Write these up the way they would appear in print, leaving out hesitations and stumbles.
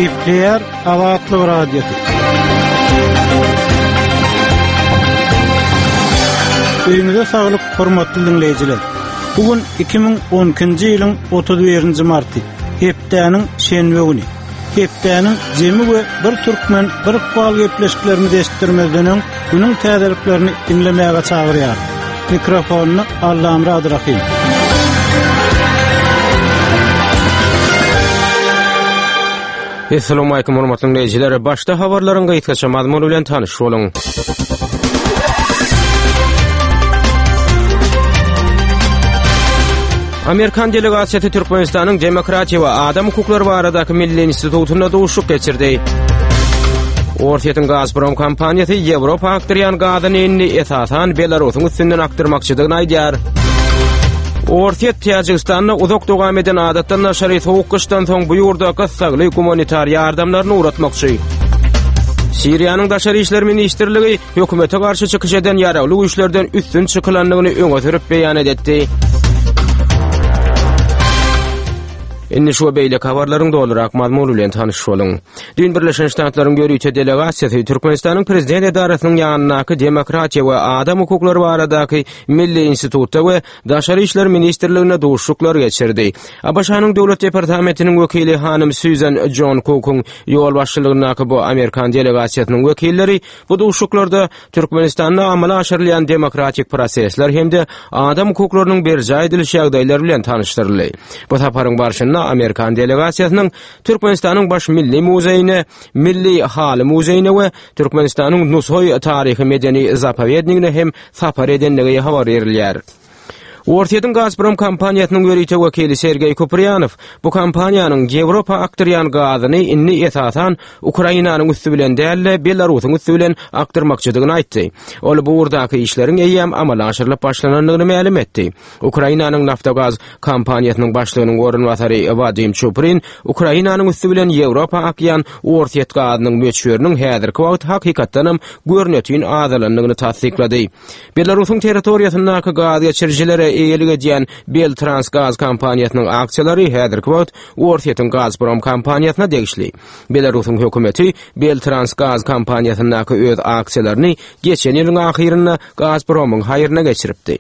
Gepleýär Azatlyk Radiosy. Öýüňize saglyk, hormatly diňleýjiler. Bu gün 2012-nji ýylyň 31-nji marty, hepdäniň şenbe güni. Hepdäniň jemi we bir türkmen, bir ykbal gepleşiklerimizi eşitdirmezden öň, günüň täzeliklerini diňlemäge çagyrýarys. Mikrofonda Allamyrat Rahym. Assalamualaikum hormatly dinleýjiler. Başda habarlaryň gysgaça mazmuny bilen tanyş boluň. Amerikan delegasiýasy Türkmenistanyň Demokratiýa we adam hukuklary baradaky milli institutynda duşuşyk geçirdi. Orsýetiň Gazprom kompaniýasy Ýewropa akdyrýan gazyny indi esasan Belarusyň üstünden akdyrmakçydygyny aýdýar. Orsýet Täjigistanda uzak dowam eden adatdan daşary sowuk gyşdan soň bu ýurda gyssagly gumanitar ýardamlaryny ugratmakçy. Siriýanyň Daşary işler ministrligi hökümete garşy çykyş eden ýaragly güýçlerden üstün çykylandygyny öňe sürüp beýan edetdi. Indi şu we beýleki habarlaryň dolurak mazmuny bilen tanyş boluň. Düýn Birleşen Ştatlaryň ýörite delegasiýasy Türkmenistanyň Prezident edarasynyň ýanyndaky Demokratiýa we adam hukuklary baradaky milli institutda we Daşary işler ministrliginde duşuşyklar geçirdi. ABŞ-nyň Döwlet departamentiniň wekili hanym Sýuzan Jon Kukuň ýolbaşçylygyndaky bu amerikan delegasiýasynyň wekilleri bu duşuşyklarda Türkmenistanda amala aşyrylýan demokratik prosesler hem-de adam hukuklarynyň berjaý ediliş ýagdaýlary bilen tanyşdyryldy. Bu saparyň barşynda amerikan delegasiýasynyň Türkmenistanyň Baş milli muzeýine, Milli haly muzeýine we Türkmenistanyň Nusaý taryhy-medeni zapowednigine hem sapar edendigi habar berilýär. Orsýetiň Gazprom kompaniýasynyň ýörite wekili Sergeý Kupriýanow bu kompaniýanyň Ýewropa akdyrýan gazyny indi esasan Ukrainanyň üsti bilen däl-de, Belarusyň üsti bilen akdyrmakçydygyny aýtdy. Ol bu ugurdaky işleriň eýýäm amala aşyrylyp başlanandygyny mälim etdi. Ukrainanyň Naftogaz kompaniýasynyň başlygynyň orunbasary Wadim Çuprin Ukrainanyň üsti bilen Ýewropa akýan orsýet gazynyň möçberiniň häzirki wagt hakykatdanam görnetin azalandygyny tassyklady. Belarusyň territoriýasyndaky gaz geçirijilere eýelik edýän Beltransgaz kompaniýasynyň aksiýalary häzirki wagt Orsýetiň Gazprom kompaniýasyna degişli. Belarusyň hökümeti Beltransgaz kompaniýasyndaky öz aksiýalaryny geçen ýylyň ahyrynda Gazpromyň haýryna geçiripdi.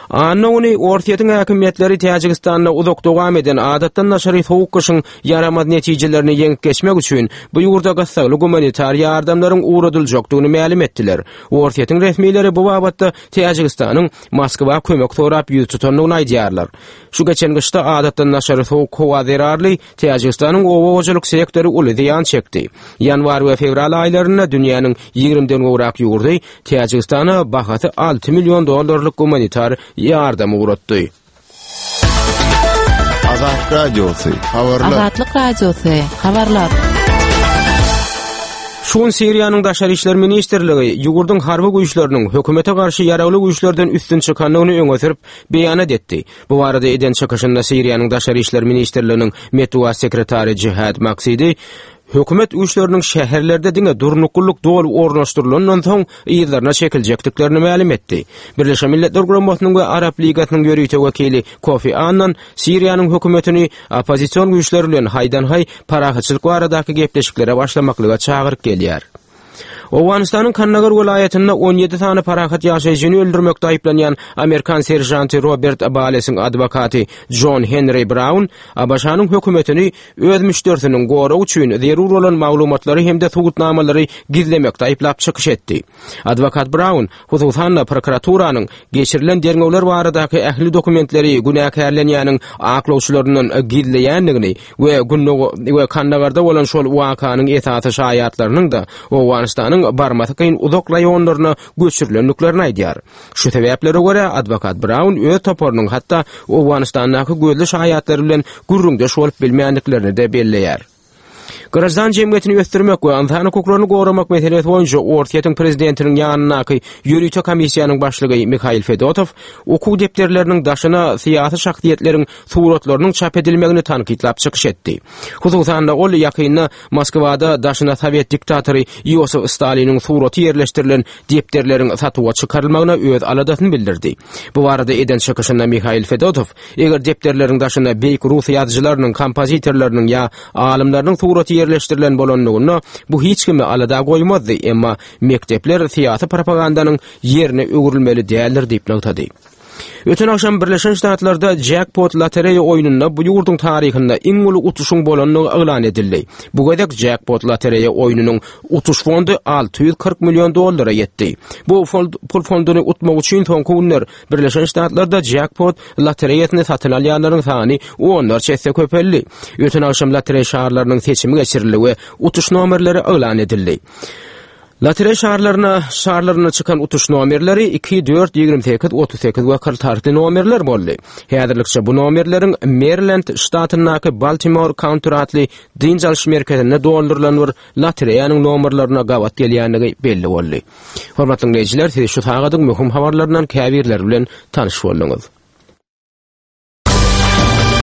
Anna güni Orsýetiň häkimiýetleri Täjigistanda uzak dowam eden adatdan daşary sowuk gyşyň ýaramaz netijelerini ýeňip geçmek üçin bu ýurda gyssagly gumanitar ýardamlaryň ugradyljakdygyny mälim etdiler. Orsýetiň resmileri bu babatda Täjigistanyň Moskwa kömek sorap ýüz tutandygyny aýdýarlar. Şu geçen gyşda adatdan daşary sowuk howa zerarly Täjigistanyň oba hojalyk sektory uly zyýan çekdi. Ýanwar we fewral aýlarynda dünýäniň ýigrimden gowrak ýurdy Täjigistana bahasy 6 million dollarlyk gumanitar ýardam ugratdy. Azat Radiosy, habarlar. Azatlyk Radiosy, habarlar. Şu gün Siriýanyň Daşary işler ministrligi ýurduň harby güýçleriniň hökümete garşy ýaragly güýçlerden üstün çykandygyny öňe sürüp, beýanat etdi. Bu barada eden çykyşynda Siriýanyň Daşary işler ministrliginiň metbugat sekretary Jihad Maksidi hökümet güýçleriniň şäherlerde diňe durnuklylyk doly ornaşdyrylandan soň yzlaryna çekiljekdiklerini mälim etdi. Birleşen Milletler Guramasynyň we Arap Ligasynyň ýörite wekili Kofi Annan Siriýanyň hökümetini oppozision güýçler bilen haýdan-haý parahatçylyk baradaky gepleşiklere başlamaklyga çagyryp gelýär. Owganystanyň Kandagar welaýatynda 17 sany parahat ýaşaýjyny öldürmekde aýyplanýan amerikan seržanty Robert Balesiň adwokaty Jon Henri Braun ABŞ-nyň hökümetini öz müşderisiniň goragy üçin zerur bolan maglumatlary hem-de subutnamalary gizlemekde aýyplap çykyş etdi. Adwokat Braun, hususan-da, prokuraturanyň geçirilen derňewler baradaky ähli dokumentleri günäkärlenýäniň aklawçylaryndan gizleýändigini we we Kandagarda bolan şol wakanyň esasy şaýatlarynyň-da Owganystanyň barmasy kyn uzak raýonlaryna göçürilendiklerini aýdýar. Şu sebäplere görä, adwokat Braun öz toparynyň hatda Owganystandaky gözli şaýatlar bilen gürrüňdeş bolup bilmändiklerini-de belleýär. Graždan jemgyýetini ösdürmek we ynsan hukuklaryny goramak meselesi boýunça Orsýetiň prezidentiniň ýanyndaky ýörite komissiýanyň başlygy Mihail Fedotow okuw depderleriniň daşyna syýasy şahsyýetleriň suratlarynyň çap edilmegini tankytlap çykyş etdi. Hususan-da, ol ýakynda Moskwada daşyna sowet diktatory Iosif Staliniň suraty ýerleşdirilen depderleriň satuwa çykarylmagyna öz aladasyny bildirdi. Bu barada eden çykyşynda Mihail Fedotow Eger depderleriň daşyna beýik rus ýazyjylarynyň, kompozitorlarynyň ýa alymlarynyň suraty. ýerleşdirilen bolanlygynda bu hiç kimi alada goýmazdy, emma mekdepler syýasy propagandanyň ýerine öwrülmeli däldir diýip nygtady. Öten agşam Birleşen Ştatlarda Jackpot lotereýa oýnunda bu ýurduň taryhynda iň uly utuşyň bolandygy yglan edildi. Bu gezek Jackpot lotereýa oýnunyň utuş fondy 640 million dollara ýetdi. Bu pul fonduny utmak üçin soňky günler Birleşen Ştatlarda Jackpot lotereýasyny satyn alýanlaryň sany onlarça esse köpeldi. Öten agşam lotereýa şarlarynyň seçimi geçirildi we utuş nomerleri yglan edildi. Lotereý şarlaryna şarlarynda çykan utuş nomerleri 2, 4, 28, 38 we 46 nomerler boldy. Häzirlikçe bu nomerleriň Merilend ştatyndaky Baltimore County atly dynç alyş merkezinde doldurylan bir lotereýanyň nomerlerine gabat gelýändigi belli boldy. Hormatly diňleýjiler, siz şu sagadyň möhüm habarlaryndan käbirleri bilen tanyş bolduňyz.